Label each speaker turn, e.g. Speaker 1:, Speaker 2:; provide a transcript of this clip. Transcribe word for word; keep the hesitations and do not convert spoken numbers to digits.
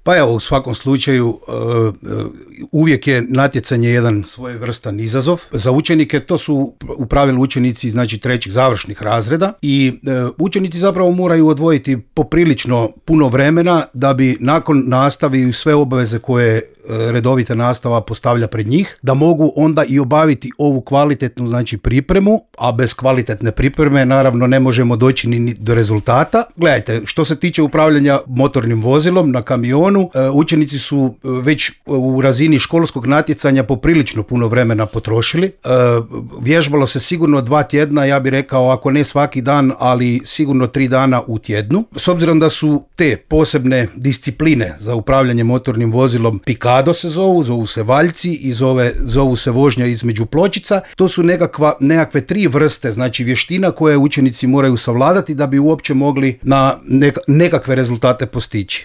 Speaker 1: Pa evo, u svakom slučaju uh, uvijek je natjecanje jedan svojevrstan izazov. Za učenike to su u pravilu učenici znači trećih završnih razreda i uh, učenici zapravo moraju odvojiti poprilično puno vremena da bi nakon nastave i sve obaveze koje redovita nastava postavlja pred njih, da mogu onda i obaviti ovu kvalitetnu znači pripremu, a bez kvalitetne pripreme naravno ne možemo doći ni do rezultata. Gledajte, što se tiče upravljanja motornim vozilom na kamionu, učenici su već u razini školskog natjecanja poprilično puno vremena potrošili. Vježbalo se sigurno dva tjedna, ja bih rekao ako ne svaki dan, ali sigurno tri dana u tjednu. S obzirom da su te posebne discipline za upravljanje motornim vozilom pikado se zovu, zovu se valjci i zove, zovu se vožnja između pločica. To su nekakva, nekakve tri vrste, znači vještina koje učenici moraju savladati da bi uopće mogli na neka, nekakve rezultate postići.